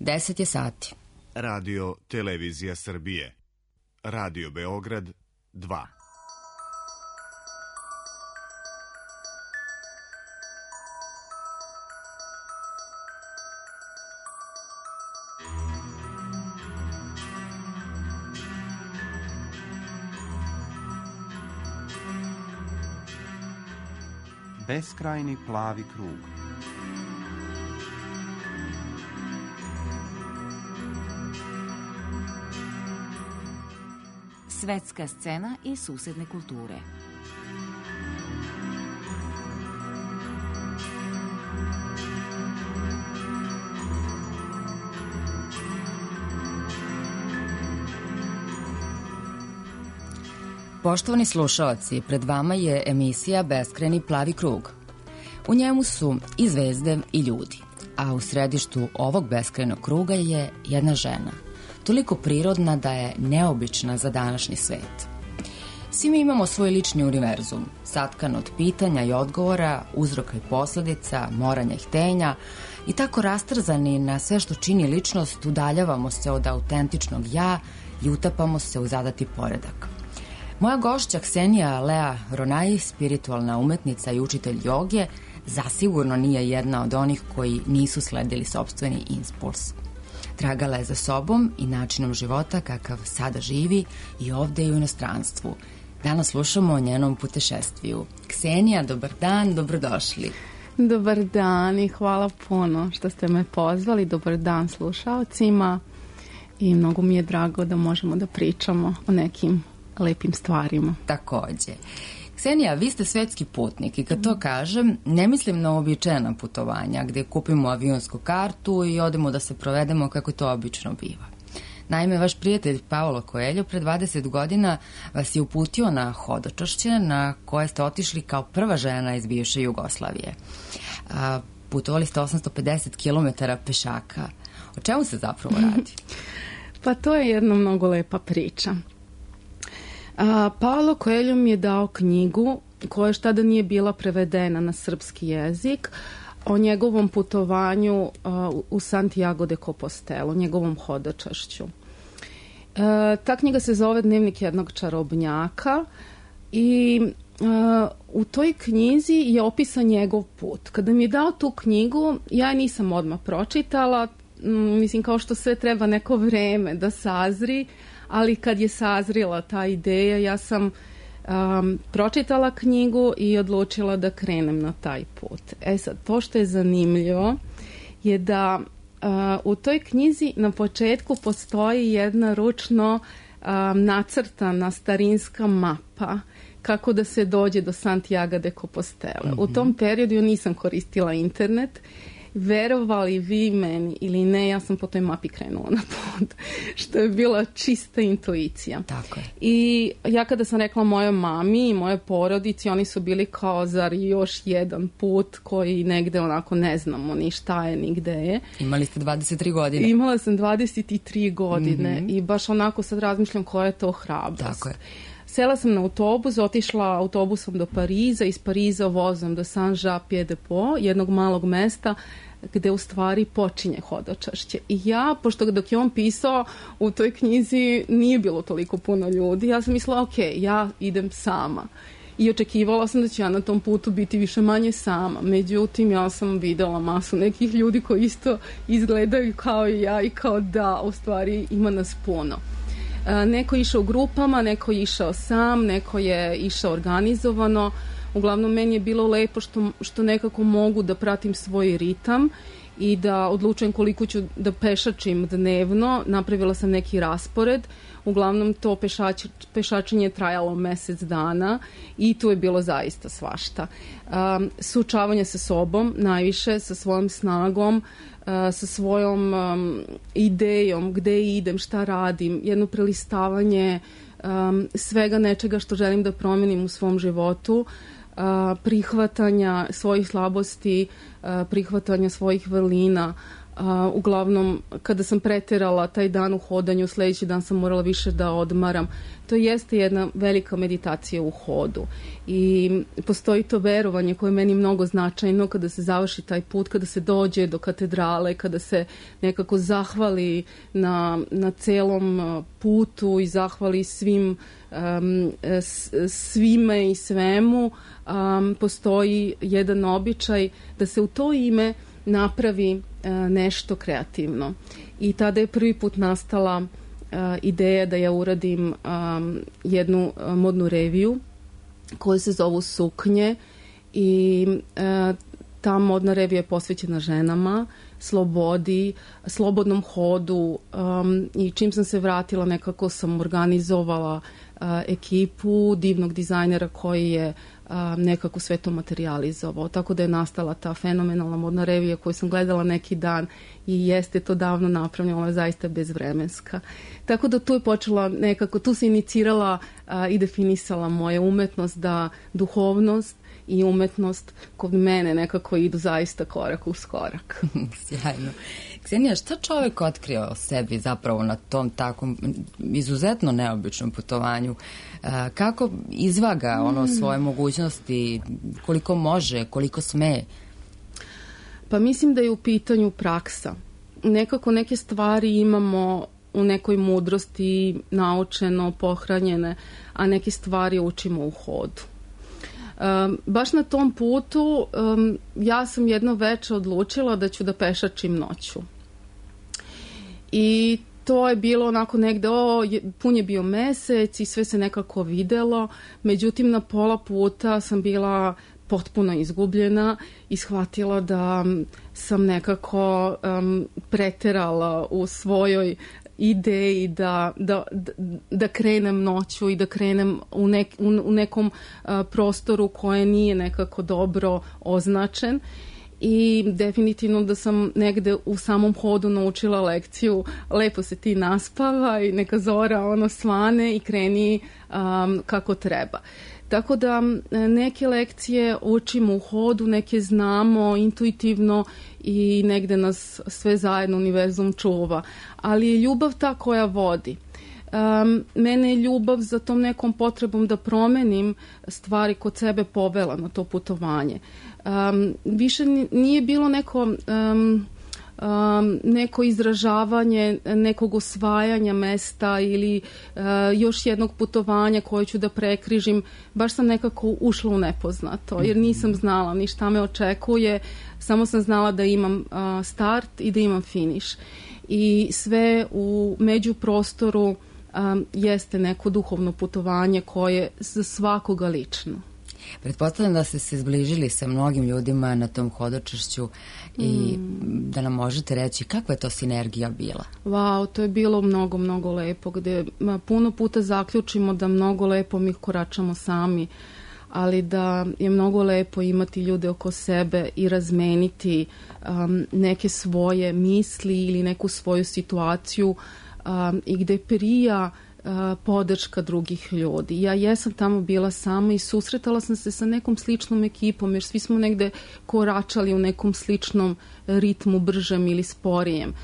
10 je sati. Radio Televizija Srbije. Radio Beograd 2. Beskrajni plavi krug. Svetska scena i susedne kulture. Poštovani slušaoci, pred vama je emisija Beskrajni plavi krug. U njemu su i zvezde i ljudi, a u središtu ovog beskrajnog kruga je jedna žena, toliko prirodna da je neobična za današnji svet. Svi mi imamo svoj lični univerzum, satkan od pitanja i odgovora, uzroka i posledica, moranja i htenja, i tako rastrzani na sve što čini ličnost, udaljavamo se od autentičnog ja i utapamo se u zadati poredak. Moja gošća Ksenija Lea Ronai, spiritualna umetnica i učitelj joge, zasigurno nije jedna od onih koji nisu sledili sopstveni impuls. Tragala je za sobom i načinom života kakav sada živi i ovde i u inostranstvu. Danas slušamo o njenom putešestviju. Ksenija, dobar dan, dobrodošli. Dobar dan i hvala puno što ste me pozvali. Dobar dan slušaocima i mnogo mi je drago da možemo da pričamo o nekim lepim stvarima. Takođe. Ksenija, vi ste svetski putnik i kad to kažem, ne mislim na uobičajena putovanja gde kupimo avionsku kartu i odemo da se provedemo kako to obično biva. Naime, vaš prijatelj Paulo Coelho pre 20 godina vas je uputio na hodočašće na koje ste otišli kao prva žena iz bivše Jugoslavije. Putovali ste 850 km pešaka. O čemu se zapravo radi? Pa to je jedna mnogo lepa priča. Paulo Coelho mi je dao knjigu koja još tada nije bila prevedena na srpski jezik o njegovom putovanju u Santiago de Compostela, njegovom hodočašću. Ta knjiga se zove Dnevnik jednog čarobnjaka i u toj knjizi je opisan njegov put. Kada mi je dao tu knjigu, ja je nisam odmah pročitala, mislim kao što sve treba neko vreme da sazri, ali kad je sazrila ta ideja, ja sam pročitala knjigu i odlučila da krenem na taj put. Sad, to što je zanimljivo je da u toj knjizi na početku postoji jedna ručno nacrtana starinska mapa kako da se dođe do Santiago de Compostela. U tom periodu nisam koristila internet. Verovali vi meni ili ne, ja sam po toj mapi krenula na put, što je bila čista intuicija. Tako je. I ja kada sam rekla mojoj mami i mojoj porodici, oni su bili kao, zar još jedan put koji negde onako ne znamo ni šta je, ni gde je. Imali ste 23 godine. Imala sam 23 godine i baš onako sad razmišljam koja je to hrabrost. Tako je. Sela sam na autobus, otišla autobusom do Pariza, iz Pariza vozom do Saint-Jean-Pied-de-Port, jednog malog mesta gde u stvari počinje hodočašće. I ja, pošto dok je on pisao u toj knjizi nije bilo toliko puno ljudi, ja sam mislila, ok, ja idem sama. I očekivala sam da ću ja na tom putu biti više manje sama. Međutim, ja sam videla masu nekih ljudi koji isto izgledaju kao i ja i kao da, u stvari ima nas puno. Neko je išao u grupama, neko je išao sam, neko je išao organizovano. Uglavnom, meni je bilo lepo što nekako mogu da pratim svoj ritam i da odlučujem koliko ću da pešačim dnevno. Napravila sam neki raspored. Uglavnom, to pešačenje trajalo mesec dana i tu je bilo zaista svašta. Suočavanje sa sobom, najviše, sa svojom snagom, sa svojom idejom, gde idem, šta radim, jedno prelistavanje svega nečega što želim da promenim u svom životu, prihvatanja svojih slabosti, prihvatanja svojih vrlina, Uglavnom, kada sam preterala taj dan u hodanju, sledeći dan sam morala više da odmaram. To jeste jedna velika meditacija u hodu. I postoji to verovanje koje je meni mnogo značajno kada se završi taj put, kada se dođe do katedrale, kada se nekako zahvali na celom putu i zahvali svime i svemu. Postoji jedan običaj da se u to ime napravi nešto kreativno. I tada je prvi put nastala ideja da ja uradim jednu modnu reviju koja se zovu Suknje i ta modna revija je posvećena ženama, slobodi, slobodnom hodu i čim sam se vratila nekako sam organizovala ekipu divnog dizajnera koji je nekako sve to materijalizovao. Tako da je nastala ta fenomenalna modna revija koju sam gledala neki dan i jeste to davno napravljeno, ona je zaista bezvremenska. Tako da tu je počela nekako, tu se inicirala i definisala moja umetnost, da duhovnost i umetnost kod mene nekako idu zaista korak uz korak. Sjajno. Ksenija, šta čovek otkrio o sebi zapravo na tom takvom izuzetno neobičnom putovanju? Kako izvaga svoje mogućnosti, koliko može, koliko sme? Pa mislim da je u pitanju praksa. Nekako neke stvari imamo u nekoj mudrosti naučeno, pohranjene, a neke stvari učimo u hodu. Baš na tom putu ja sam jedno veče odlučila da ću da pešačim noću. I to je bilo onako negde, pun je bio mesec i sve se nekako videlo, međutim na pola puta sam bila potpuno izgubljena i shvatila da sam nekako preterala u svojoj ideji da krenem noću i da krenem u nekom prostoru koje nije nekako dobro označen. I definitivno da sam negde u samom hodu naučila lekciju, lepo se ti naspavaj, neka zora svane i kreni kako treba. Tako da neke lekcije učimo u hodu, neke znamo intuitivno i negde nas sve zajedno univerzum čuva. Ali je ljubav ta koja vodi. Mene je ljubav za tom nekom potrebom da promenim stvari kod sebe povela na to putovanje. Više nije bilo neko izražavanje nekog osvajanja mesta ili još jednog putovanja koje ću da prekrižim. Baš sam nekako ušla u nepoznato jer nisam znala ni šta me očekuje, samo sam znala da imam start i da imam finiš. I sve u međuprostoru jeste neko duhovno putovanje koje je za svakoga lično. Pretpostavljam da ste se zbližili sa mnogim ljudima na tom hodočašću i da nam možete reći kakva je to sinergija bila? Wow, to je bilo mnogo, mnogo lepo, gde puno puta zaključimo da mnogo lepo mi koračamo sami, ali da je mnogo lepo imati ljude oko sebe i razmeniti neke svoje misli ili neku svoju situaciju i gde prija podrška drugih ljudi. Ja jesam tamo bila sama i susretala sam se sa nekom sličnom ekipom, jer svi smo negde koračali u nekom sličnom ritmu, bržem ili sporijem.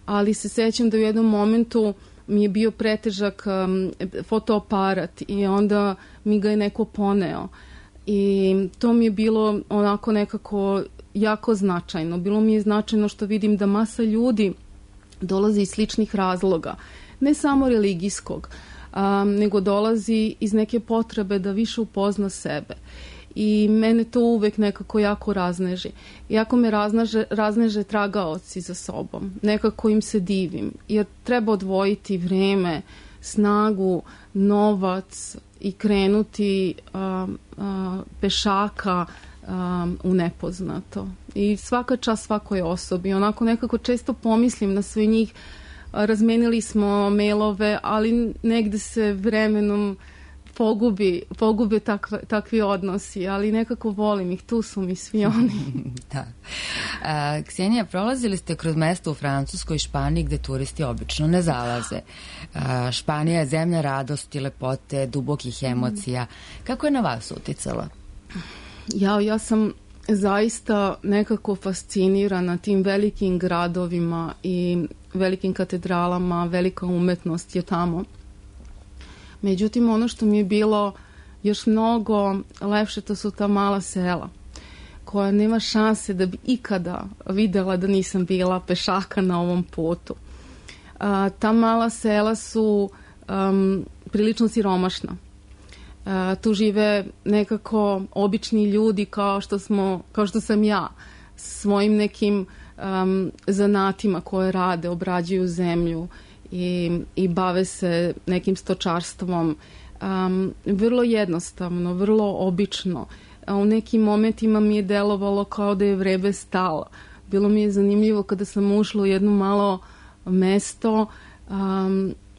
Ali se sećam da u jednom momentu mi je bio pretežak fotoaparat i onda mi ga je neko poneo. I to mi je bilo onako nekako jako značajno. Bilo mi je značajno što vidim da masa ljudi dolazi iz sličnih razloga. Ne samo religijskog, nego dolazi iz neke potrebe da više upozna sebe. I mene to uvek nekako jako razneži. Jako me razneže tragaoci za sobom. Nekako im se divim. Jer treba odvojiti vreme, snagu, novac i krenuti pešaka u nepoznato. I svaka čast svakoj osobi. Onako nekako često pomislim na sve njih. Razmenili smo mailove, ali negde se vremenom pogube takvi odnosi, ali nekako volim ih, tu su mi svi oni. Da. Ksenija, prolazili ste kroz mesta u Francuskoj i Španiji gde turisti obično ne zalaze. Španija je zemlja radosti, lepote, dubokih emocija. Kako je na vas uticala? Ja sam zaista nekako fascinirana tim velikim gradovima i velikim katedralama, velika umetnost je tamo. Međutim, ono što mi je bilo još mnogo lepše, to su ta mala sela koja nema šanse da bi ikada videla da nisam bila pešaka na ovom putu. Ta mala sela su prilično siromašna. Tu žive nekako obični ljudi kao što sam ja, svojim nekim zanatima koje rade, obrađuju zemlju i bave se nekim stočarstvom. Vrlo jednostavno, vrlo obično. U nekim momentima mi je delovalo kao da je vreme stalo. Bilo mi je zanimljivo kada sam ušla u jedno malo mesto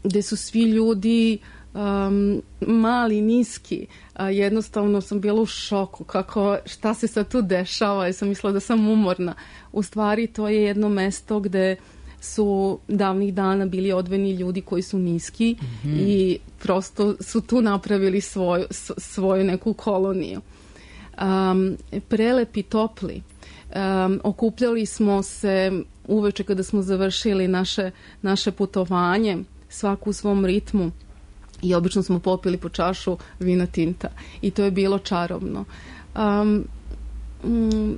gde su svi ljudi mali, niski. Jednostavno sam bila u šoku šta se sad tu dešava i sam mislila da sam umorna. U stvari to je jedno mesto gde su davnih dana bili odvojeni ljudi koji su niski i prosto su tu napravili svoju neku koloniju. Prelepi, topli. Okupljali smo se uveče kada smo završili naše putovanje, svaku u svom ritmu, i obično smo popili po čašu vina tinta i to je bilo čarobno.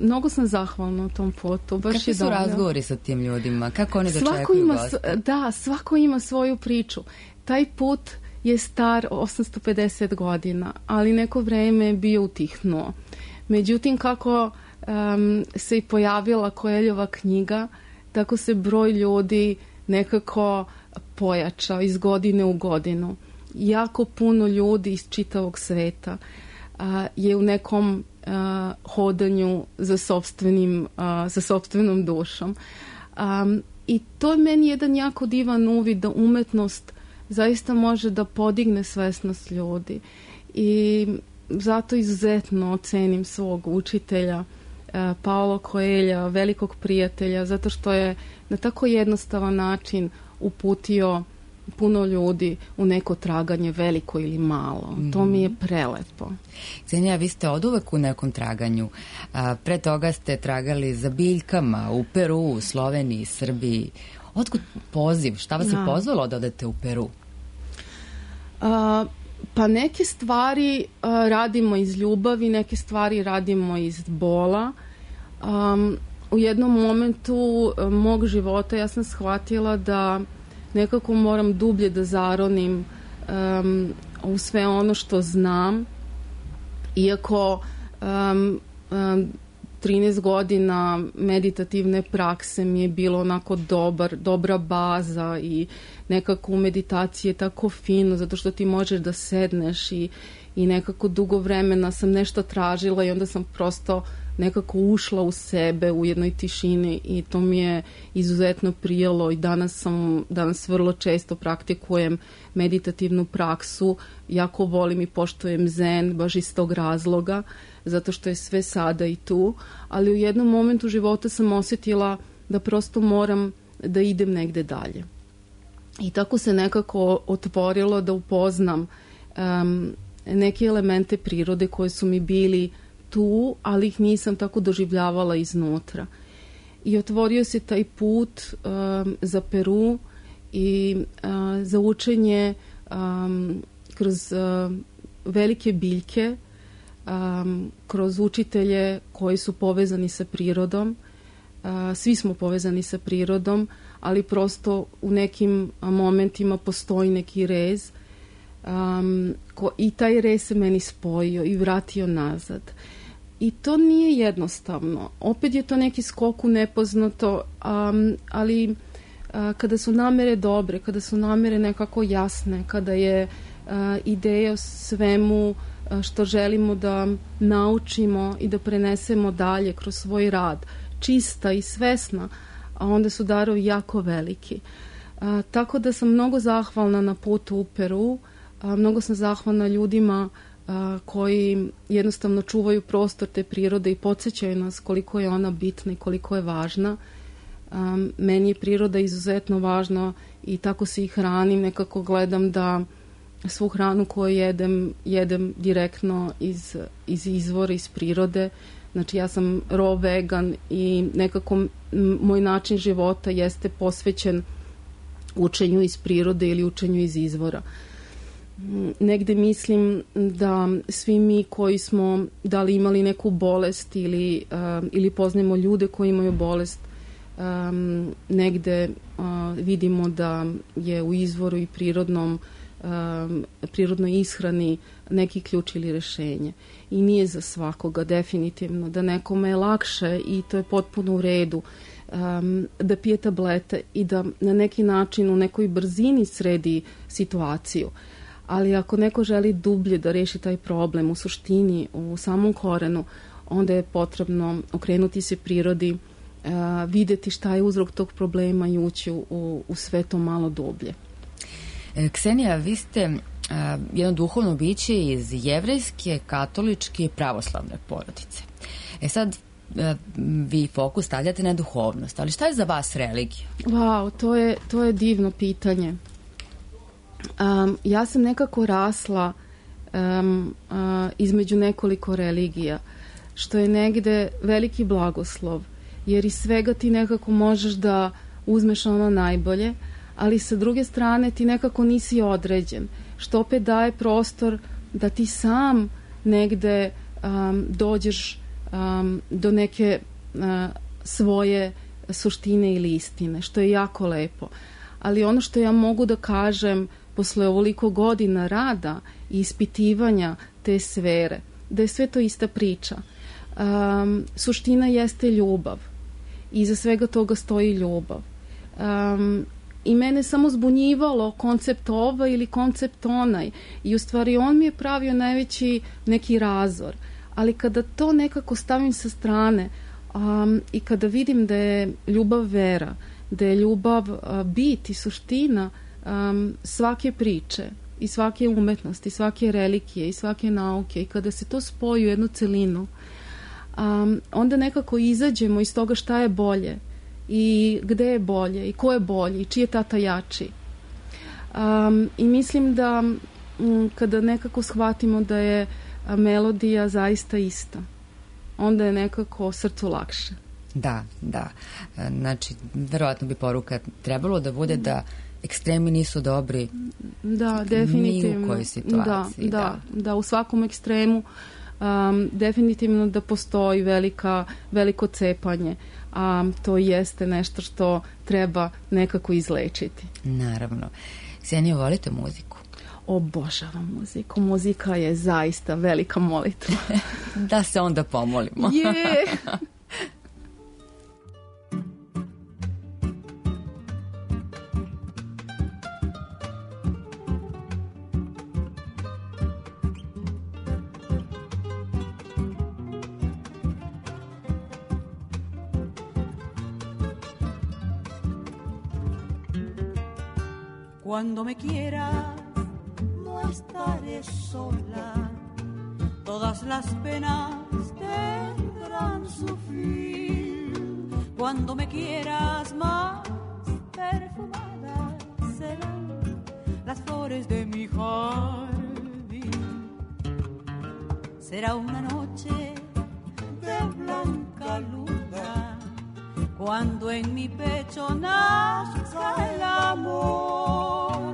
Mnogo sam zahvalna u tom putu. Kakvi su razgovori sa tim ljudima? Kako oni dočekuju goste? Da, svako ima svoju priču. Taj put je star 850 godina, ali neko vreme je bio utihnuo. Međutim, kako se i pojavila Koeljova knjiga, tako se broj ljudi nekako pojačao iz godine u godinu. Jako puno ljudi iz čitavog sveta je u nekom hodanju za sopstvenom dušom. I to je meni jedan jako divan uvid da umetnost zaista može da podigne svesnost ljudi. I zato izuzetno ocenim svog učitelja Paulo Coelha, velikog prijatelja, zato što je na tako jednostavan način uputio puno ljudi u neko traganje, veliko ili malo. To mi je prelepo. Ksenija, vi ste oduvek u nekom traganju. Pre toga ste tragali za biljkama u Peru, Sloveniji, Srbiji. Otkud poziv? Šta vas je pozvalo da odete u Peru? Pa neke stvari radimo iz ljubavi, neke stvari radimo iz bola. U jednom momentu mog života ja sam shvatila da nekako moram dublje da zaronim u sve ono što znam. Iako 13 godina meditativne prakse mi je bilo onako dobra baza i nekako u meditaciji je tako fino zato što ti možeš da sedneš i nekako dugo vremena sam nešto tražila i onda sam prosto nekako ušla u sebe u jednoj tišini i to mi je izuzetno prijalo i danas vrlo često praktikujem meditativnu praksu. Jako volim i poštujem zen baš iz tog razloga zato što je sve sada i tu, ali u jednom momentu života sam osjetila da prosto moram da idem negde dalje. I tako se nekako otvorilo da upoznam neke elemente prirode koje su mi bili tu, ali ih nisam tako doživljavala iznutra. I otvorio se taj put za Peru i za učenje kroz velike biljke, kroz učitelje koji su povezani sa prirodom. Svi smo povezani sa prirodom, ali prosto u nekim momentima postoji neki rez i taj rez se meni spojio i vratio nazad. I to nije jednostavno. Opet je to neki skok u nepoznato, ali kada su namere dobre, kada su namere nekako jasne, kada je ideja o svemu što želimo da naučimo i da prenesemo dalje kroz svoj rad, čista i svesna, a onda su darovi jako veliki. Tako da sam mnogo zahvalna na putu u Peru, mnogo sam zahvalna ljudima koji jednostavno čuvaju prostor te prirode i podsjećaju nas koliko je ona bitna i koliko je važna. Meni je priroda izuzetno važna i tako se i hranim. Nekako gledam da svu hranu koju jedem direktno iz izvora, iz prirode. Znači ja sam raw vegan i nekako moj način života jeste posvećen učenju iz prirode ili učenju iz izvora. Negde mislim da svi mi koji smo da li imali neku bolest ili poznajemo ljude koji imaju bolest, negde vidimo da je u izvoru i prirodnoj ishrani neki ključ ili rešenje. I nije za svakoga definitivno, da nekome je lakše i to je potpuno u redu da pije tablete i da na neki način u nekoj brzini sredi situaciju. Ali ako neko želi dublje da reši taj problem u suštini, u samom korenu, onda je potrebno okrenuti se prirodi, videti šta je uzrok tog problema i ući u sve to malo dublje. Ksenija, vi ste jedno duhovno biće iz jevrejske, katoličke i pravoslavne porodice. Sad, vi fokus stavljate na duhovnost, ali šta je za vas religija? Wow, to je divno pitanje. Ja sam nekako rasla između nekoliko religija, što je negde veliki blagoslov, jer iz svega ti nekako možeš da uzmeš ono najbolje, ali sa druge strane ti nekako nisi određen, što opet daje prostor da ti sam negde dođeš do neke svoje suštine ili istine, što je jako lepo. Ali ono što ja mogu da kažem posle ovoliko godina rada i ispitivanja te sfere, da je sve to ista priča. Suština jeste ljubav. Iza svega toga stoji ljubav. I mene samo zbunjivalo koncept ovaj ili koncept onaj. I u stvari on mi je pravio najveći neki razor. Ali kada to nekako stavim sa strane i kada vidim da je ljubav vera, da je ljubav bit i suština svake priče i svake umetnosti, svake religije i svake nauke, i kada se to spoji u jednu celinu, onda nekako izađemo iz toga šta je bolje i gde je bolje i ko je bolji i čiji je tata jači. I mislim da kada nekako shvatimo da je melodija zaista ista, onda je nekako srcu lakše. Da. Znači, verovatno bi poruka trebalo da bude da ekstremi nisu dobri. Da, definitivno. Ni u kojoj situaciji. Da, u svakom ekstremu definitivno da postoji veliko cepanje, a to jeste nešto što treba nekako izlečiti. Naravno. Ksenija, volite muziku? Obožavam muziku. Muzika je zaista velika molitva. Da se onda pomolimo. Cuando me quieras, no estaré sola. Todas las penas tendrán su fin. Cuando me quieras, más perfumadas serán las flores de mi jardín. Será una noche de blanca luna, cuando en mi pecho nazca el amor,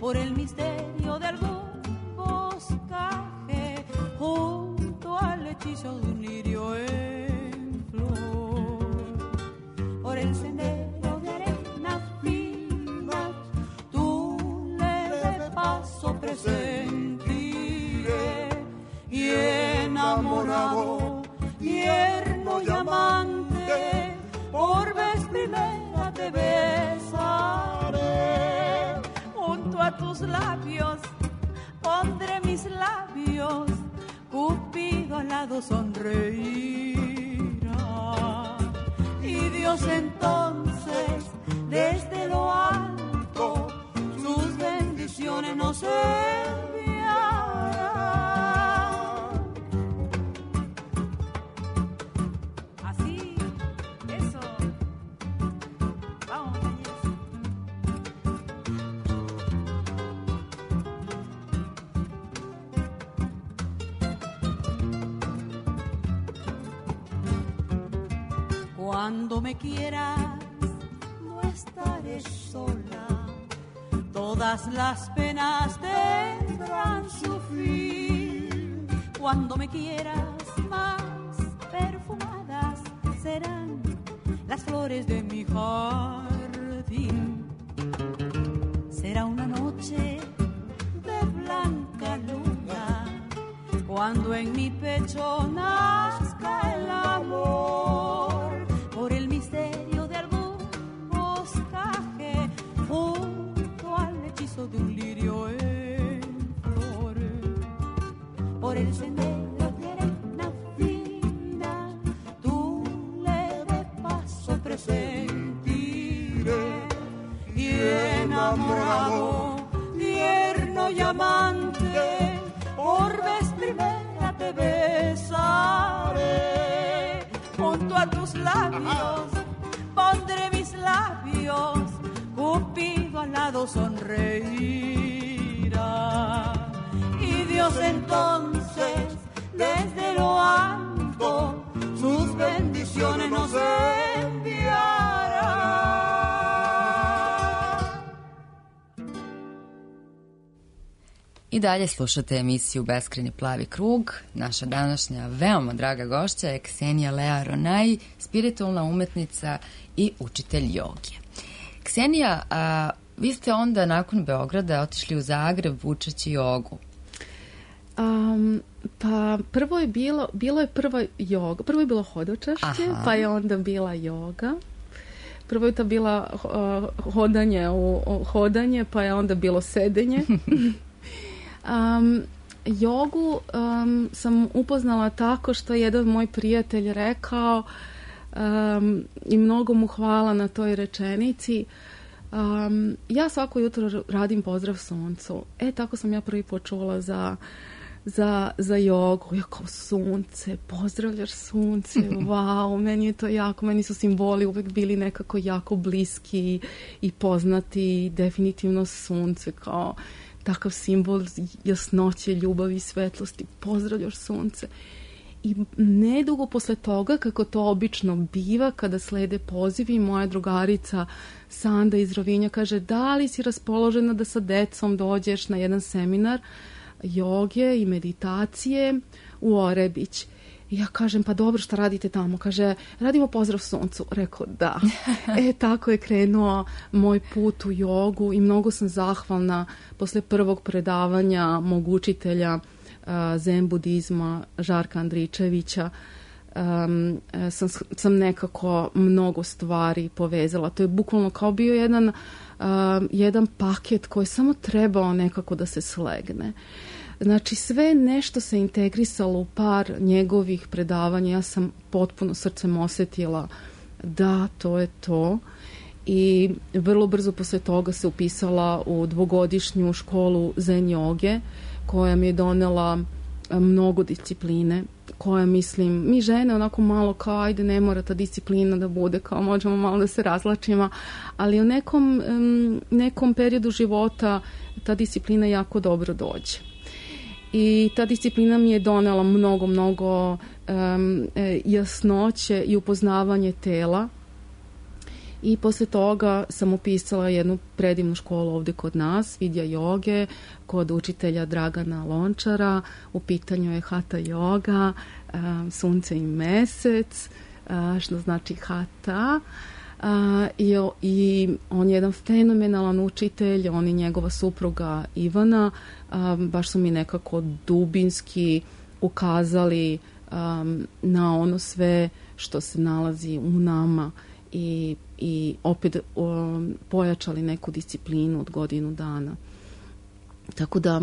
por el misterio de algún boscaje, junto al hechizo de un lirio en flor, por el sendero de arenas finas, tu leve paso presentiré, y enamorado, tierno y amante, por vez primera te besaré. Junto a tus labios pondré mis labios, Cupido al lado sonreirá. Y Dios entonces desde lo alto sus bendiciones nos enviará. Cuando me quieras, no estaré sola. Todas las penas tendrán su fin. Cuando me quieras, más perfumadas serán las flores de mi jardín. Será una noche de blanca luna cuando en mi pecho nazca el amor por el misterio de algún boscaje junto al hechizo de un lirio en flor, por el sendero de arena fina tu leve paso presentiré y enamorado, tierno y amante, por vez primera te besaré. Junto a tus labios pondré mis labios, Cupido al lado sonreirá. Y Dios entonces desde lo alto sus bendiciones nos enviará. I dalje slušate emisiju Beskrajni plavi krug. Naša današnja veoma draga gošća je Ksenija Lea Ronaj, spiritualna umetnica i učitelj joge. Ksenija, vi ste onda nakon Beograda otišli u Zagreb učeći jogu. Pa prvo je bilo je prva joga, prvo je bilo hodočašće, pa je onda bila joga. Prvo je to bila hodanje, pa je onda bilo sedenje. Jogu sam upoznala tako što je jedan moj prijatelj rekao i mnogo mu hvala na toj rečenici. Ja svako jutro radim pozdrav suncu. Tako sam ja prvi počula za jogu. Ja kao sunce, pozdravljaš sunce, wow, meni je to jako, meni su simboli uvek bili nekako jako bliski i poznati, definitivno sunce kao takav simbol jasnoće, ljubavi, svetlosti, pozdravljaš sunce. I nedugo posle toga, kako to obično biva, kada slede pozivi, moja drugarica Sanda iz Rovinja kaže, da li si raspoložena da sa decom dođeš na jedan seminar joge i meditacije u Orebić. I ja kažem, pa dobro, šta radite tamo? Kaže, radimo pozdrav suncu. Rekao, da. Tako je krenuo moj put u jogu i mnogo sam zahvalna posle prvog predavanja mog učitelja zen budizma Žarka Andričevića. Sam nekako mnogo stvari povezala. To je bukvalno kao bio jedan paket koji je samo trebao nekako da se slegne. Znači sve nešto se integrisalo u par njegovih predavanja. Ja sam potpuno srcem osjetila da to je to. I vrlo brzo posle toga se upisala u dvogodišnju školu zen joge koja mi je donela mnogo discipline, koja mislim, mi žene onako malo kao ajde ne mora ta disciplina da bude, kao možemo malo da se razlačimo, ali u nekom periodu života ta disciplina jako dobro dođe. I ta disciplina mi je donela mnogo jasnoće i upoznavanje tela. I posle toga sam upisala jednu predivnu školu ovde kod nas, Vidja joge, kod učitelja Dragana Lončara. U pitanju je Hatha joga, sunce i mesec, što znači Hatha. I on je jedan fenomenalan učitelj, on i njegova supruga Ivana, baš su mi nekako dubinski ukazali na ono sve što se nalazi u nama i opet pojačali neku disciplinu od godinu dana. Tako da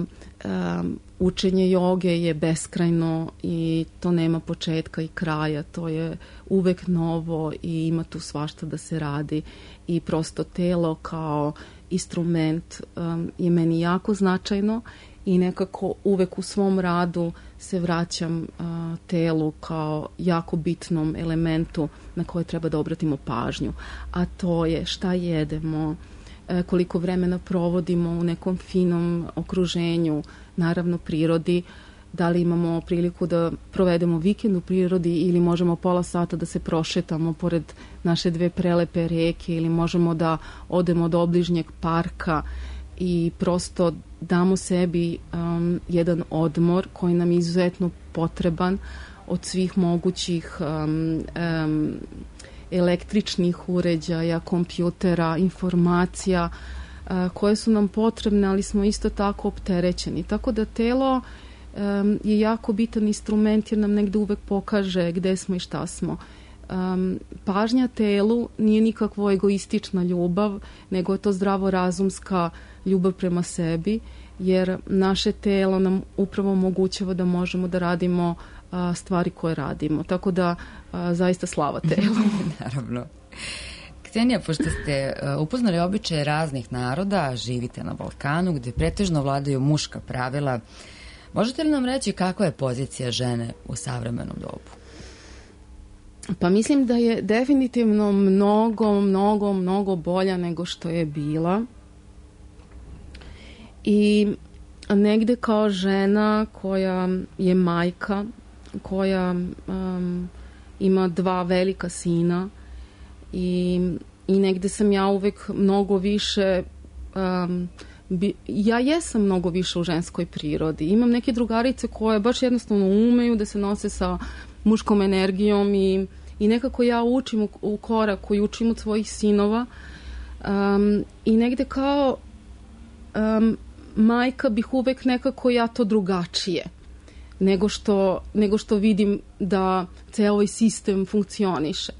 učenje joge je beskrajno i to nema početka i kraja, to je uvek novo i ima tu svašta da se radi i prosto telo kao instrument je meni jako značajno i nekako uvek u svom radu se vraćam telu kao jako bitnom elementu na koje treba da obratimo pažnju, a to je šta jedemo, koliko vremena provodimo u nekom finom okruženju, naravno prirodi, da li imamo priliku da provedemo vikend u prirodi ili možemo pola sata da se prošetamo pored naše 2 prelepe reke ili možemo da odemo do obližnjeg parka i prosto damo sebi jedan odmor koji nam je izuzetno potreban od svih mogućih električnih uređaja, kompjutera, informacija koje su nam potrebne, ali smo isto tako opterećeni. Tako da telo je jako bitan instrument jer nam negde uvek pokaže gde smo i šta smo. Pažnja telu nije nikakvo egoistična ljubav, nego je to zdravorazumska ljubav prema sebi, jer naše telo nam upravo omogućava da možemo da radimo stvari koje radimo. Tako da zaista slava telu. Naravno. Ksenija, pošto ste upoznali običaje raznih naroda, živite na Balkanu gde pretežno vladaju muška pravila, možete li nam reći kakva je pozicija žene u savremenom dobu? Pa mislim da je definitivno mnogo bolja nego što je bila. I negde kao žena koja je majka, koja ima 2 velika sina i negde sam ja uvek mnogo više ja jesam mnogo više u ženskoj prirodi. Imam neke drugarice koje baš jednostavno umeju da se nose sa muškom energijom i nekako ja učim u koraku i učim od svojih sinova i negde kao majka bih uvek nekako ja to drugačije nego što vidim da ceo ovaj sistem funkcioniše.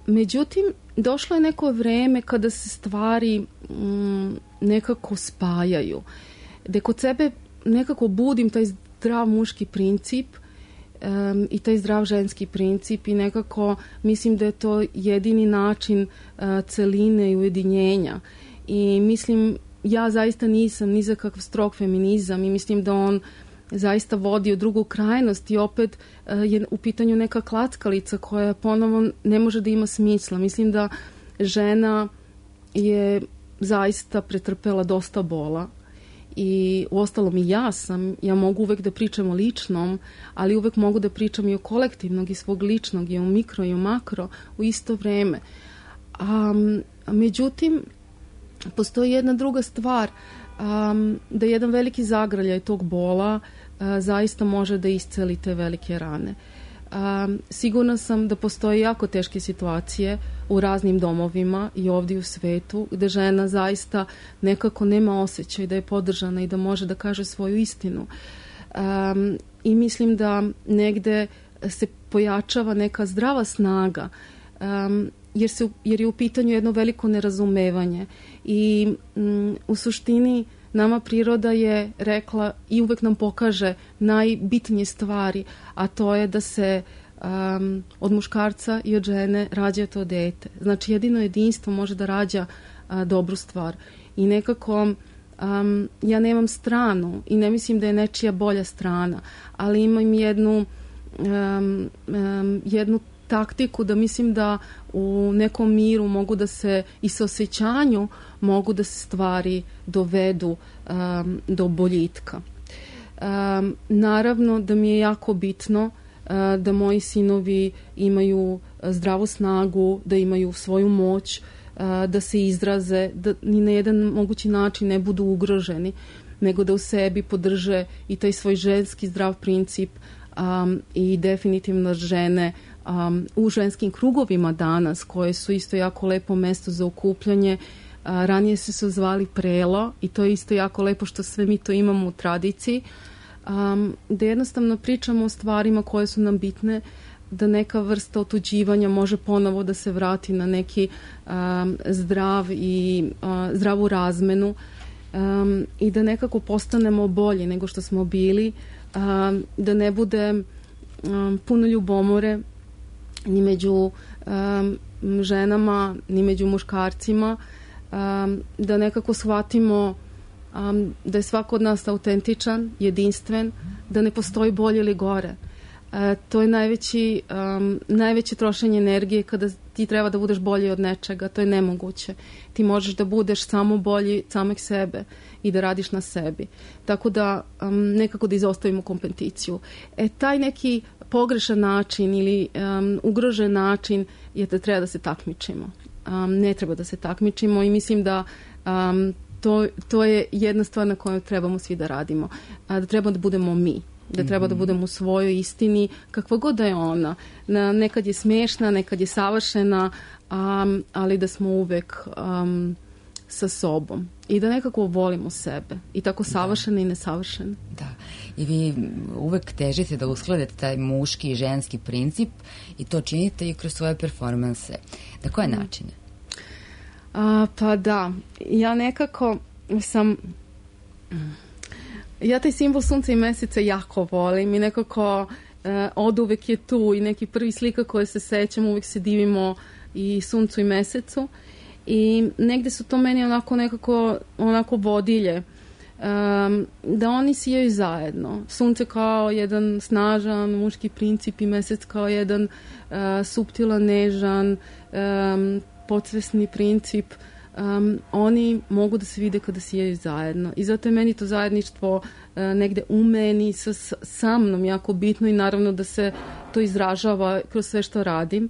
Međutim, došlo je neko vreme kada se stvari nekako spajaju. Da kod sebe nekako budim taj zdrav muški princip i taj zdrav ženski princip i nekako mislim da je to jedini način celine i ujedinjenja. I mislim, ja zaista nisam ni za kakav strog feminizam i mislim da on zaista vodi u drugu krajnost i opet je u pitanju neka klackalica koja ponovo ne može da ima smisla. Mislim da žena je zaista pretrpela dosta bola i uostalom i ja mogu uvek da pričam o ličnom, ali uvek mogu da pričam i o kolektivnog i svog ličnog i o mikro i o makro u isto vreme. Međutim, postoji jedna druga stvar, da jedan veliki zagrljaj tog bola zaista može da isceli te velike rane. Sigurna sam da postoje jako teške situacije u raznim domovima i ovdje u svetu gde žena zaista nekako nema osjećaj da je podržana i da može da kaže svoju istinu. I mislim da negde se pojačava neka zdrava snaga jer je u pitanju jedno veliko nerazumevanje i u suštini nama priroda je rekla i uvek nam pokaže najbitnije stvari, a to je da se od muškarca i od žene rađa to dete. Znači jedino jedinstvo može da rađa dobru stvar. I nekako ja nemam stranu i ne mislim da je nečija bolja strana, ali imam jednu taktiku da mislim da u nekom miru mogu da se i sa osjećanju mogu da se stvari dovedu do boljitka. Naravno da mi je jako bitno da moji sinovi imaju zdravu snagu, da imaju svoju moć, da se izraze, da ni na jedan mogući način ne budu ugroženi, nego da u sebi podrže i taj svoj ženski zdrav princip i definitivno žene u ženskim krugovima danas, koje su isto jako lepo mesto za okupljanje. Ranije se zvali prelo i to je isto jako lepo što sve mi to imamo u tradiciji, da jednostavno pričamo o stvarima koje su nam bitne, da neka vrsta otuđivanja može ponovo da se vrati na neki zdravu razmenu i da nekako postanemo bolji nego što smo bili, da ne bude puno ljubomore ni među ženama, ni među muškarcima, da nekako shvatimo da je svako od nas autentičan, jedinstven, da ne postoji bolje ili gore. To je najveće trošenje energije kada ti treba da budeš bolji od nečega, to je nemoguće. Ti možeš da budeš samo bolji samog sebe i da radiš na sebi. Tako da nekako da izostavimo kompeticiju. Taj neki pogrešan način ili ugrožen način je da treba da se takmičimo. Ne treba da se takmičimo i mislim da to je jedna stvar na kojoj trebamo svi da radimo. Da treba da budemo mi. Da treba da budemo u svojoj istini, kakva god da je ona. Nekad je smešna, nekad je savršena, ali da smo uvek sa sobom. I da nekako volimo sebe. I tako savršene i nesavršene. Da. I vi uvek težite da uskladete taj muški i ženski princip i to činite i kroz svoje performanse. Na koje načine? Pa da. Ja nekako sam... Ja taj simbol sunca i meseca jako volim i nekako od uvek je tu i neki prvi slika koje se sećam, uvek se divimo i suncu i mesecu i negde su to meni onako vodilje da oni sijaju zajedno. Sunce kao jedan snažan muški princip i mesec kao jedan suptilan, nežan, podsvesni princip. Oni mogu da se vide kada sijaju zajedno i zato je meni to zajedništvo negde u meni sa mnom jako bitno i naravno da se to izražava kroz sve što radim.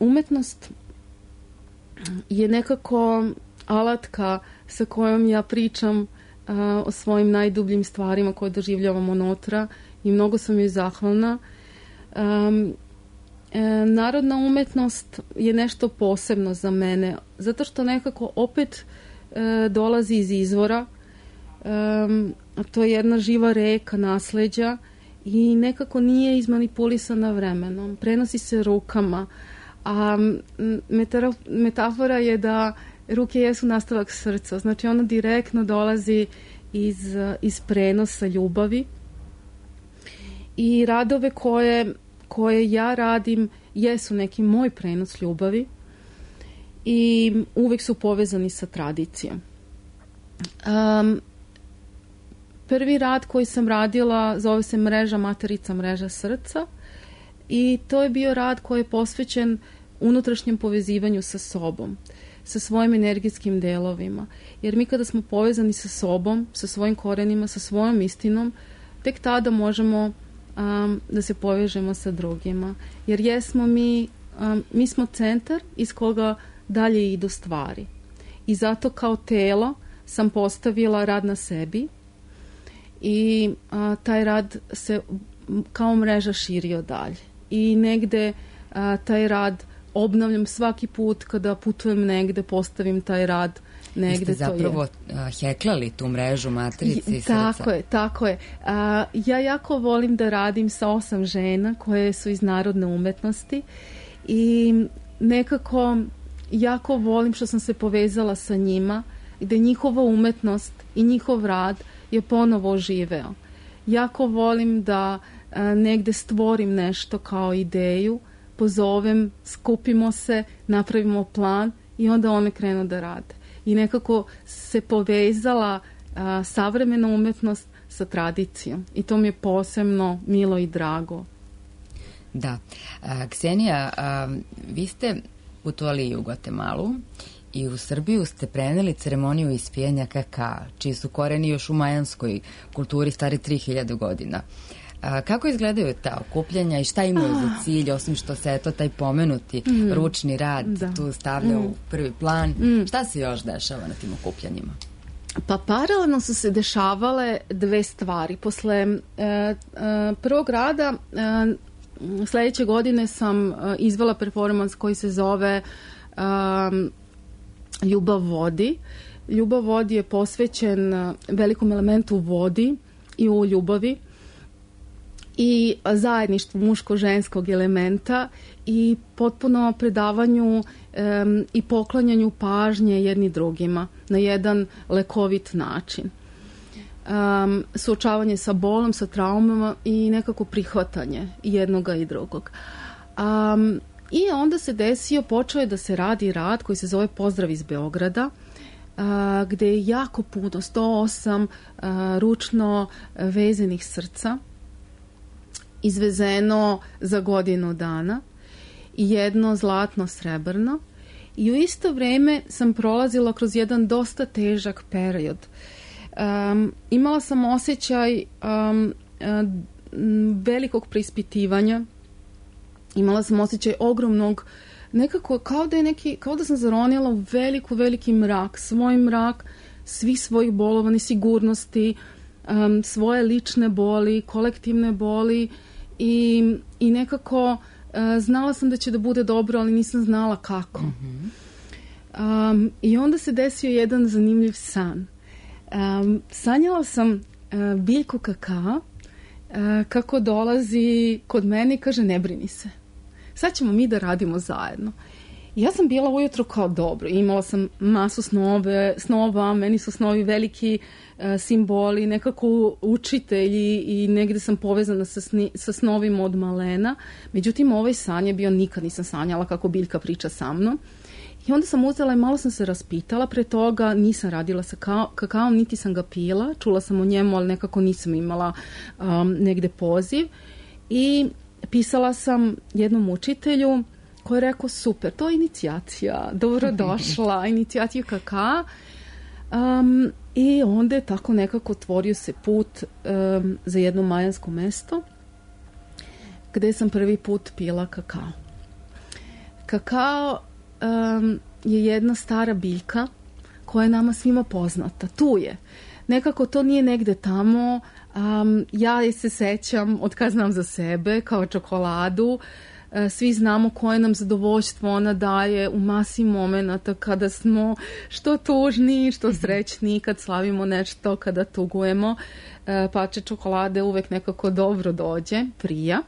Umetnost je nekako alatka sa kojom ja pričam o svojim najdubljim stvarima koje doživljavam unutra i mnogo sam joj zahvalna. Narodna umetnost je nešto posebno za mene, zato što nekako opet dolazi iz izvora, to je jedna živa reka nasleđa i nekako nije izmanipulisana vremenom, prenosi se rukama, a metafora je da ruke jesu nastavak srca, znači ona direktno dolazi iz prenosa ljubavi i radove koje ja radim jesu neki moj prenos ljubavi i uvek su povezani sa tradicijom. Prvi rad koji sam radila zove se Mreža materica, mreža srca i to je bio rad koji je posvećen unutrašnjem povezivanju sa sobom, sa svojim energijskim delovima. Jer mi kada smo povezani sa sobom, sa svojim korenima, sa svojom istinom, tek tada možemo da se povežemo sa drugima. Jer jesmo mi smo centar iz koga dalje idu stvari. I zato kao telo sam postavila rad na sebi i taj rad se kao mreža širio dalje. I negde taj rad obnavljam svaki put kada putujem negde, postavim taj rad negde. Vi ste zapravo heklali tu mrežu matrice i srca. Tako je. Ja jako volim da radim sa 8 žena koje su iz narodne umetnosti i nekako jako volim što sam se povezala sa njima i da njihova umetnost i njihov rad je ponovo oživeo. Jako volim da negde stvorim nešto kao ideju, pozovem, skupimo se, napravimo plan i onda one krenu da rade. I nekako se povezala savremena umetnost sa tradicijom. I to mi je posebno milo i drago. Da. Ksenija, vi ste putovali u Gvatemalu i u Srbiju ste preneli ceremoniju ispijanja kakaa, čiji su koreni još u majanskoj kulturi stari 3000 godina. Kako izgledaju ta okupljanja i šta imaju za cilj, osim što se taj pomenuti ručni rad tu stavlja u prvi plan? Šta se još dešava na tim okupljanjima? Pa paralelno su se dešavale dve stvari. Posle prvog rada sledeće godine sam izvela performans koji se zove Ljubav vodi. Ljubav vodi je posvećen velikom elementu vodi i u ljubavi i zajedništvu muško-ženskog elementa i potpuno predavanju i poklanjanju pažnje jedni drugima na jedan lekovit način. Suočavanje sa bolom, sa traumama i nekako prihvatanje jednoga i drugog. I onda se počeo je da se radi rad koji se zove Pozdrav iz Beograda, gde je jako puno, 108 ručno vezenih srca izvezeno za godinu dana i jedno zlatno srebrno. I u isto vrijeme sam prolazila kroz jedan dosta težak period. Imala sam osjećaj velikog preispitivanja. Imala sam osjećaj ogromnog, nekako kao da sam zaronila u veliki mrak, svoj mrak, svih svojih bolova, nesigurnosti, svoje lične boli, kolektivne boli i nekako znala sam da će da bude dobro, ali nisam znala kako. I onda se desio jedan zanimljiv san. Sanjala sam biljku kakaa kako dolazi kod mene i kaže ne brini se. Sad ćemo mi da radimo zajedno. I ja sam bila ujutro kao dobro. Imala sam masu snova, meni su snovi veliki simboli, nekako učitelji i negdje sam povezana sa snovima od malena. Međutim, ovaj san je bio, nikad nisam sanjala kako biljka priča sa mnom. I onda sam uzela i malo sam se raspitala, pre toga nisam radila sa kakaom, niti sam ga pila, čula sam o njemu, ali nekako nisam imala negde poziv. I pisala sam jednom učitelju koji je rekao super, to je inicijacija, dobrodošla, inicijacija kakaa. I onda je tako nekako otvorio se put za jedno majansko mesto gde sam prvi put pila kakao. Kakao je jedna stara biljka koja je nama svima poznata. Tu je. Nekako to nije negde tamo. Ja je se sećam od kad znam za sebe kao čokoladu. Svi znamo koje nam zadovoljstvo ona daje u masi momenata kada smo što tužni, što srećni, kad slavimo nešto, kada tugujemo. Pače čokolade uvek nekako dobro dođe, prija.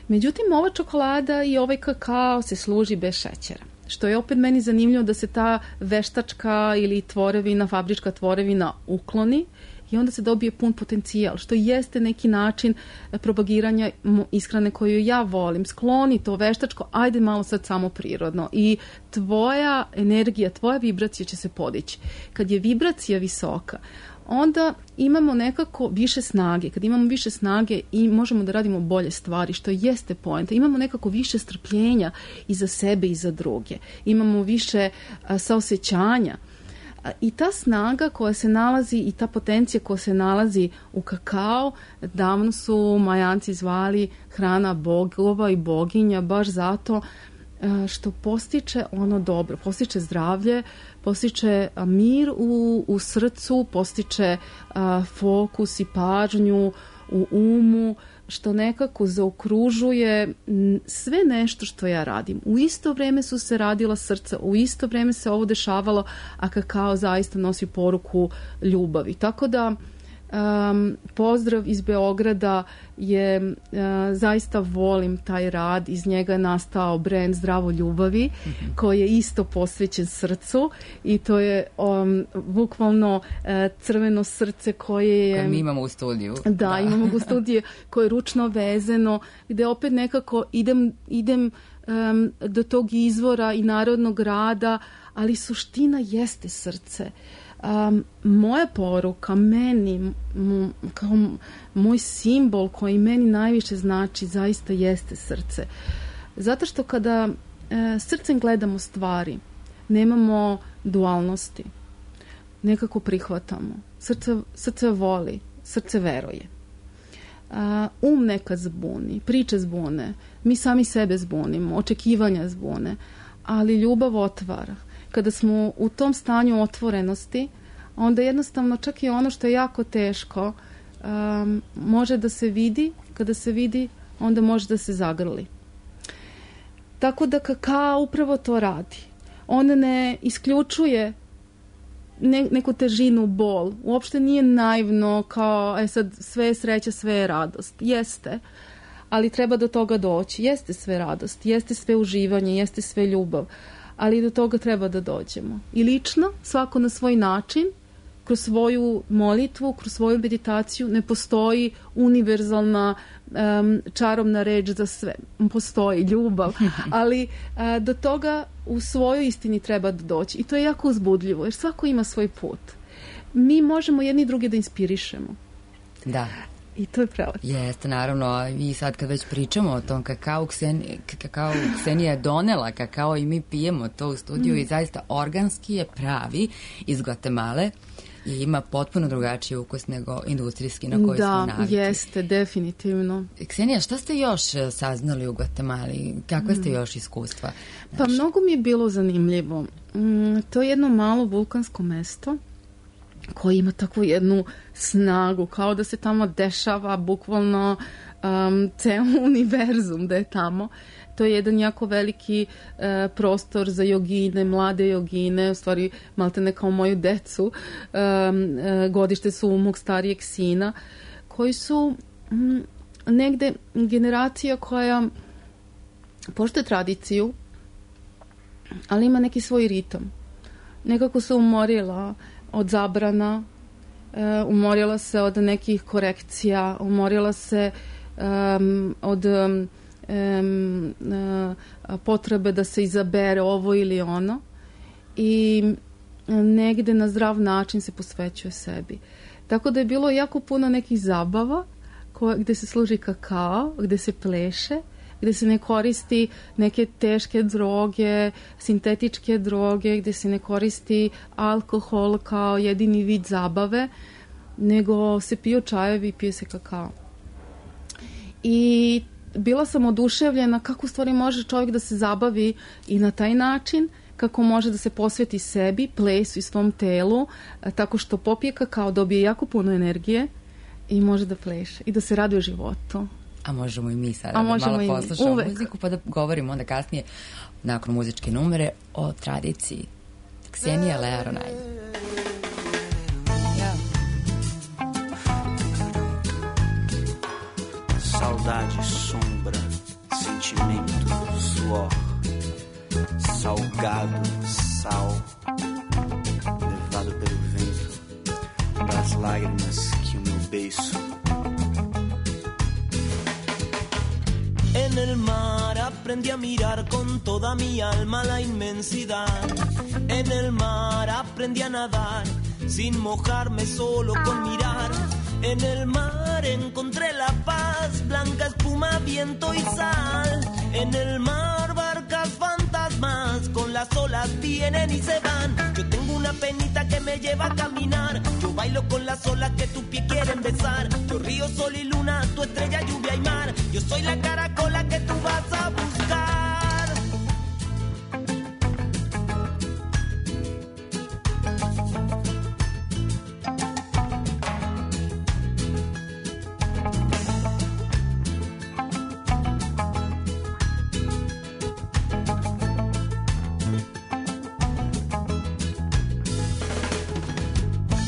Međutim, ova čokolada i ovaj kakao se služi bez šećera. Što je opet meni zanimljivo da se ta veštačka ili tvorevina, fabrička tvorevina ukloni i onda se dobije pun potencijal, što jeste neki način propagiranja ishrane koju ja volim. Skloni to veštačko, ajde malo sad samo prirodno i tvoja energija, tvoja vibracija će se podići. Kad je vibracija visoka, onda imamo nekako više snage. Kad imamo više snage i možemo da radimo bolje stvari, što jeste poenta. Imamo nekako više strpljenja i za sebe i za druge. Imamo više saosećanja. I ta snaga koja se nalazi i ta potencija koja se nalazi u kakao, davno su Majanci zvali hrana bogova i boginja, baš zato što postiče ono dobro, postiče zdravlje, postiče mir u srcu, postiče fokus i pažnju u umu, što nekako zaokružuje sve nešto što ja radim. U isto vrijeme su se radila srca, u isto vrijeme se ovo dešavalo, a kakao zaista nosi poruku ljubavi. Tako da pozdrav iz Beograda je zaista volim taj rad, iz njega je nastao brend Zdravo ljubavi koji je isto posvećen srcu i to je bukvalno crveno srce koje je... Koje mi imamo u studiju. Da, imamo u studiju koje je ručno vezeno, gde opet nekako idem do tog izvora i narodnog rada, ali suština jeste srce. Moja poruka meni kao moj simbol koji meni najviše znači zaista jeste srce, zato što kada srcem gledamo stvari nemamo dualnosti, nekako prihvatamo, srce voli, srce veruje. Nekad zbuni, priče zbune, mi sami sebe zbunimo, očekivanja zbune, ali ljubav otvara. Kada smo u tom stanju otvorenosti, onda jednostavno čak i ono što je jako teško može da se vidi. Kada se vidi, onda može da se zagrli. Tako da kakao upravo to radi. On ne isključuje neku težinu, bol. Uopšte nije naivno kao sad sve je sreća, sve je radost. Jeste, ali treba do toga doći. Jeste sve radost, jeste sve uživanje, jeste sve ljubav. Ali do toga treba da dođemo. I lično, svako na svoj način, kroz svoju molitvu, kroz svoju meditaciju, ne postoji univerzalna čarobna reč za sve. Postoji ljubav, ali do toga u svojoj istini treba da doći. I to je jako uzbudljivo, jer svako ima svoj put. Mi možemo jedni druge da inspirišemo. Da. I to je prelepo. Jeste, naravno. I sad kad već pričamo o tom kakao, Ksenija je donela kakao i mi pijemo to u studiju i zaista organski je pravi iz Gvatemale i ima potpuno drugačiji ukus nego industrijski na koji smo navikli. Da, jeste, definitivno. Ksenija, šta ste još saznali u Gvatemali? Kakve ste još iskustva? Pa mnogo mi je bilo zanimljivo. To je jedno malo vulkansko mesto koje ima takvu jednu snagu, kao da se tamo dešava bukvalno ceo univerzum da je tamo. To je jedan jako veliki prostor za jogine, mlade jogine, u stvari maltene kao moju decu, godište su mog starijeg sina, koji su negde generacija koja poštuje tradiciju, ali ima neki svoj ritam. Nekako se umorila od zabrana, umorila se od nekih korekcija, umorila se od potrebe da se izabere ovo ili ono i negde na zdrav način se posvećuje sebi. Tako da je bilo jako puno nekih zabava gde se služi kakao, gde se pleše, gde se ne koristi neke teške droge, sintetičke droge, gde se ne koristi alkohol kao jedini vid zabave, nego se piju čajevi i pije se kakao. I bila sam oduševljena kako u stvari može čovjek da se zabavi i na taj način, kako može da se posveti sebi, plesu i svom telu, tako što popije kakao, dobije jako puno energije i može da pleše i da se raduje životu. A možemo i mi sada da malo poslušamo muziku pa da govorimo onda kasnije nakon muzičke numere o tradiciji. Ksenija Learonaj. Saudade, sombra, sentimento, suor, salgado, sal, levado pelo vento, das lágrimas que o meu beiço. En el mar aprendí a mirar con toda mi alma la inmensidad. En el mar aprendí a nadar sin mojarme, solo con mirar. En el mar encontré la paz, blanca espuma, viento y sal. En el mar barcas fantasmas, con las olas vienen y se van. Yo tengo una penita que me lleva a caminar. Yo bailo con las olas que tus pies quieren besar. Yo río, sol y luna, tu estrella, lluvia y mar. Yo soy la caracola que tú vas a buscar.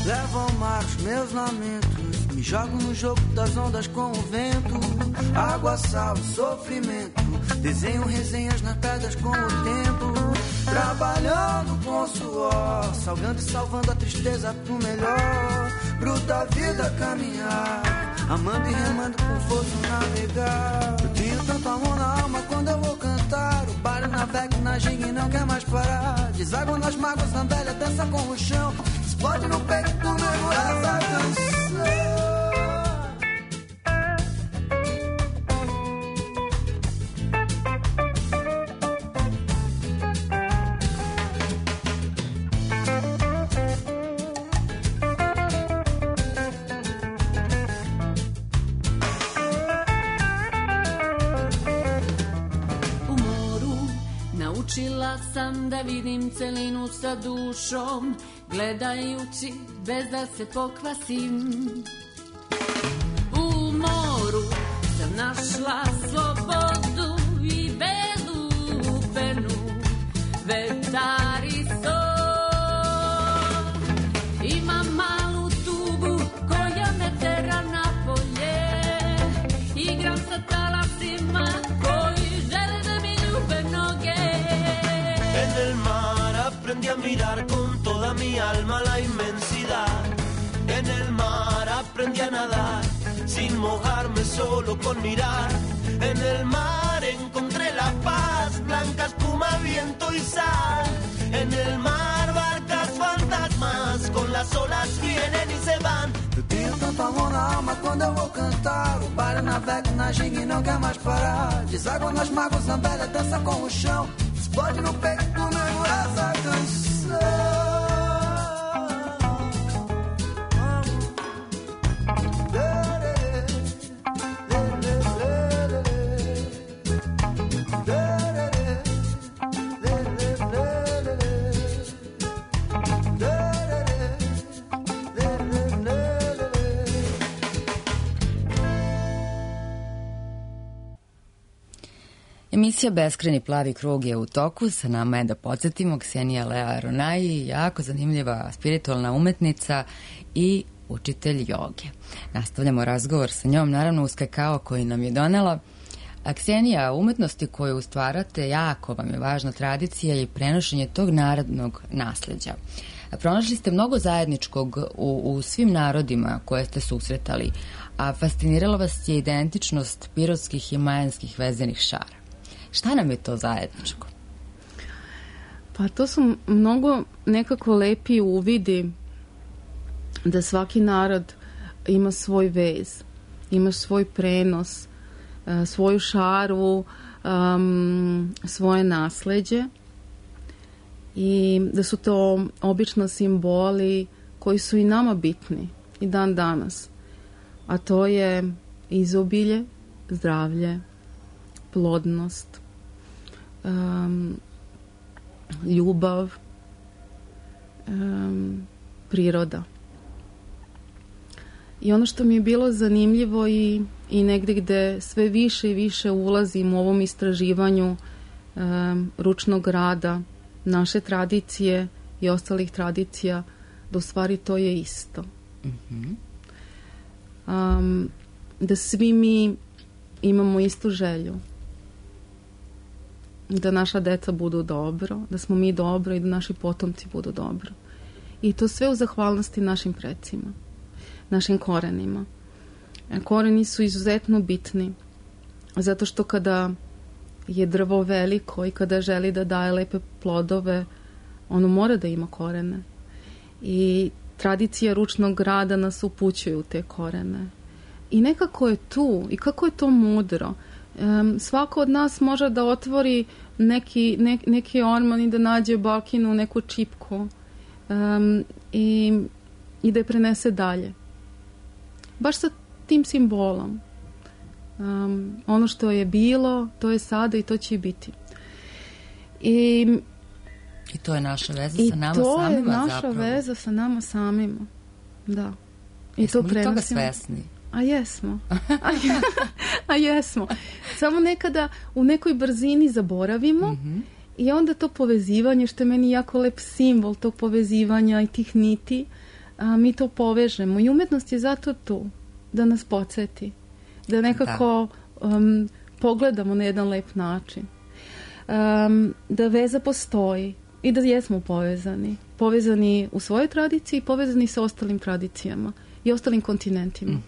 Levo ao mar os meus lamentos, me jogo no jogo das ondas com o vento. Água, sal, sofrimento, desenho resenhas nas pedras com o tempo. Trabalhando com suor, salgando e salvando a tristeza pro melhor. Bruta vida caminhar, amando e remando com força navegar. Eu tenho tanto amor na alma quando eu vou cantar. O barco navega na ginga e não quer mais parar. Deságua nas mágoas, a velha dança com o chão. Explode no peito do meu essa canção. Naučila sam da vidim celinu sa dušom, gledajući bez da se pokvasim. U moru sam našla slobodu i belu penu, vetar i sol. Imam malu tubu koja me tera napolje, igram sa talasima koji žele da mi ljube noge. En el mar aprendí a mirar con toda mi alma la inmensidad. En el mar aprendí a nadar sin mojarme, solo con mirar. En el mar encontré la paz, blanca espuma, viento y sal. En el mar barcas fantasmas, con las olas vienen y se van. Eu tenho tanto amor na alma quando eu vou cantar. O baile navega na ginga e não quer mais parar. Deságua nas mágoas, a velha dança com o chão. Explode no peito do nego essa canção. Emisija Beskrajni plavi krug je u toku, sa nama je da podsjetimo Ksenija Lea Aronaji, jako zanimljiva spiritualna umetnica i učitelj joge. Nastavljamo razgovor sa njom, naravno uz kakao koji nam je donela. A Ksenija, umetnosti koju stvarate, jako vam je važna tradicija i prenošenje tog narodnog nasleđa. Pronašli ste mnogo zajedničkog u svim narodima koje ste susretali, a fascinirala vas je identičnost pirotskih i majanskih vezenih šara. Šta nam je to zajedničko? Pa to su mnogo nekako lepi uvidi da svaki narod ima svoj vez, ima svoj prenos, svoju šaru, svoje nasleđe i da su to obično simboli koji su i nama bitni i dan danas. A to je izobilje, zdravlje, plodnost, ljubav, priroda. I ono što mi je bilo zanimljivo i negde gde sve više i više ulazim u ovom istraživanju ručnog rada, naše tradicije i ostalih tradicija, da u stvari to je isto. Da svi mi imamo istu želju. Da naša deca budu dobro, da smo mi dobro i da naši potomci budu dobro. I to sve u zahvalnosti našim precima, našim korenima. Koreni su izuzetno bitni, zato što kada je drvo veliko i kada želi da daje lepe plodove, ono mora da ima korene. I tradicija ručnog rada nas upućuje u te korene. I nekako je tu, i kako je to mudro. Svako od nas može da otvori neki orman i da nađe bakinu, neku čipku i da je prenese dalje. Baš sa tim simbolom. Ono što je bilo, to je sada i to će biti. I to je naša veza sa nama samima zapravo. I to je naša veza sa nama samima. Da. I jesmo li toga svesni? A jesmo. A jesmo. Samo nekada u nekoj brzini zaboravimo i onda to povezivanje, što je meni jako lep simbol tog povezivanja i tih niti, mi to povežemo. I umetnost je zato tu, da nas podsjeti. Da nekako pogledamo na jedan lep način. Da veza postoji i da jesmo povezani. Povezani u svojoj tradiciji, povezani sa ostalim tradicijama i ostalim kontinentima.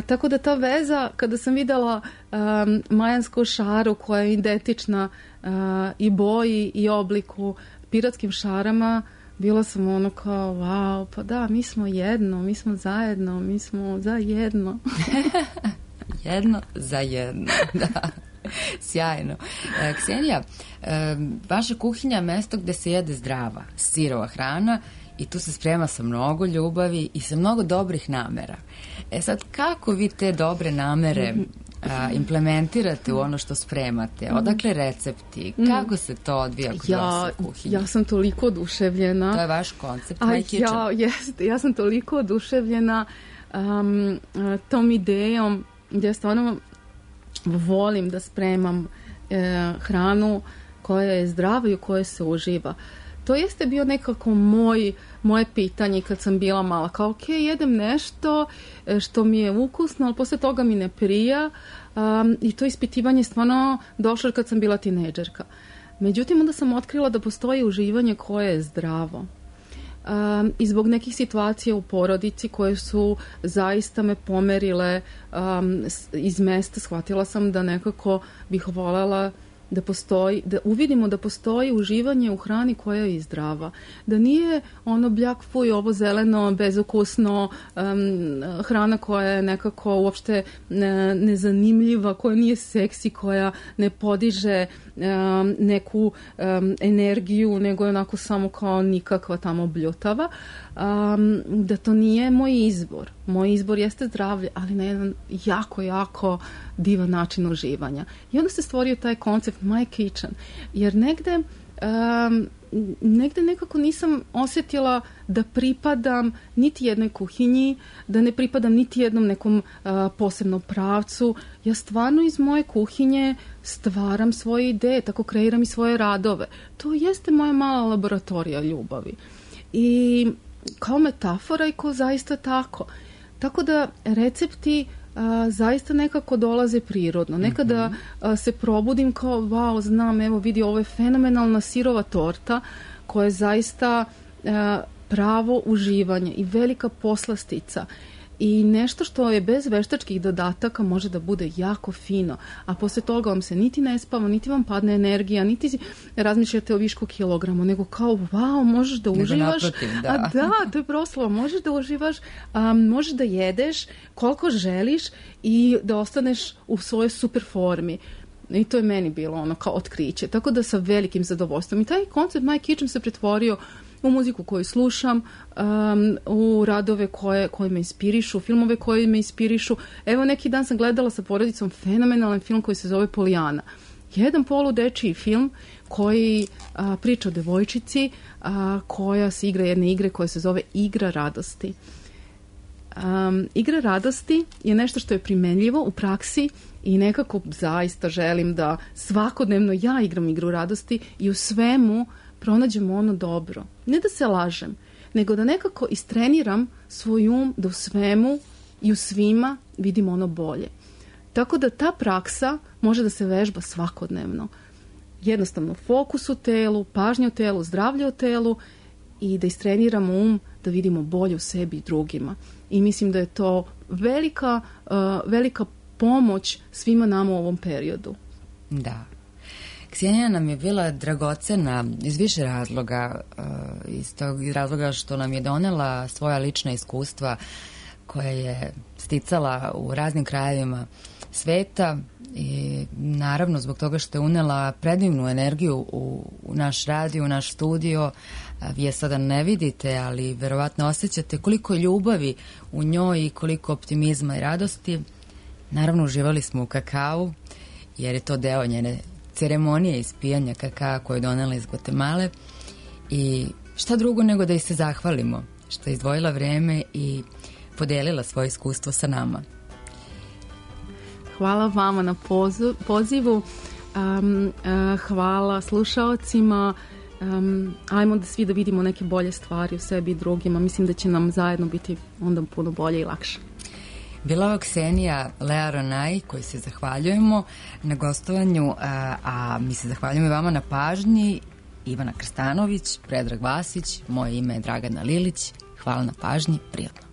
Tako da ta veza, kada sam videla majansku šaru koja je identična i boji i obliku piratskim šarama, bila sam ono kao, wow, pa da, mi smo jedno, mi smo zajedno, mi smo za jedno. Jedno za jedno, da. Sjajno. Ksenija, vaša kuhinja je mesto gde se jede zdrava, sirova hrana i tu se sprema sa mnogo ljubavi i sa mnogo dobrih namera. Sad, kako vi te dobre namere implementirate u ono što spremate? Odakle recepti? Kako se to odvija kod vas u kuhinji? Ja sam toliko oduševljena. To je vaš koncept My Kitchen. Ja sam toliko oduševljena tom idejom gdje stvarno volim da spremam hranu koja je zdrava i u kojoj se uživa. To jeste bio nekako moje pitanje kad sam bila mala. Kao, ok, jedem nešto što mi je ukusno, ali posle toga mi ne prija. I to ispitivanje stvarno došlo kad sam bila tinejdžerka. Međutim, onda sam otkrila da postoji uživanje koje je zdravo. I zbog nekih situacija u porodici koje su zaista me pomerile iz mesta, shvatila sam da nekako bih voljela da uvidimo da postoji uživanje u hrani koja je zdrava, da nije ono bljak fuj, ovo zeleno, bezukusno, hrana koja je nekako uopšte nezanimljiva, koja nije seksi, koja ne podiže neku energiju, nego je onako samo kao nikakva tamo bljutava, da to nije moj izbor. Moj izbor jeste zdravlje, ali na jedan jako, jako divan način uživanja. I onda se stvorio taj koncept My Kitchen, jer negde nekako nisam osjetila da pripadam niti jednoj kuhinji, da ne pripadam niti jednom nekom posebnom pravcu. Ja stvarno iz moje kuhinje stvaram svoje ideje, tako kreiram i svoje radove. To jeste moja mala laboratorija ljubavi. I kao metafora i kao zaista tako. Tako da recepti zaista nekako dolaze prirodno. Nekada se probudim kao, wow, znam, evo vidi, ovo je fenomenalna sirova torta koja je zaista pravo uživanje i velika poslastica i nešto što je bez veštačkih dodataka može da bude jako fino, a posle toga vam se niti ne spava, niti vam padne energija, niti razmišljate o višku kilogramu, nego kao, wow, možeš da uživaš. Da, to je proslava, možeš da uživaš, možeš da jedeš koliko želiš i da ostaneš u svojoj super formi. I to je meni bilo ono kao otkriće. Tako da sa velikim zadovoljstvom. I taj koncept My Kitchen se pretvorio u muziku koju slušam, u radove koje me inspirišu, filmove koje me inspirišu. Evo, neki dan sam gledala sa porodicom fenomenalan film koji se zove Polijana. Jedan poludečiji film koji priča o devojčici koja se igra jedne igre koja se zove Igra radosti. Igra radosti je nešto što je primenljivo u praksi i nekako zaista želim da svakodnevno ja igram igru radosti i u svemu pronađemo ono dobro. Ne da se lažem, nego da nekako istreniram svoj da u svemu i u svima vidimo ono bolje. Tako da ta praksa može da se vežba svakodnevno. Jednostavno fokus u telu, pažnja u telu, zdravlje u telu i da istreniramo da vidimo bolje u sebi i drugima. I mislim da je to velika pomoć svima nama u ovom periodu. Da. Ksenija nam je bila dragocena iz više razloga, iz tog razloga što nam je donela svoja lična iskustva koja je sticala u raznim krajevima sveta i naravno zbog toga što je unela predivnu energiju u naš radio, u naš studio. Vi je sada ne vidite, ali verovatno osjećate koliko ljubavi u njoj i koliko optimizma i radosti. Naravno uživali smo u kakao jer je to deo njene ceremonije ispijanja kakaa koju je donela iz Gvatemale i šta drugo nego da joj se zahvalimo što je izdvojila vreme i podelila svoje iskustvo sa nama. Hvala vama na pozivu, hvala slušaocima, ajmo da svi da vidimo neke bolje stvari u sebi i drugima, mislim da će nam zajedno biti onda puno bolje i lakše. Bila je Ksenija Lea Ronaj, koji se zahvaljujemo na gostovanju, a mi se zahvaljujemo i vama na pažnji. Ivana Krstanović, Predrag Vasić, moje ime je Dragana Lilić. Hvala na pažnji, prijatno.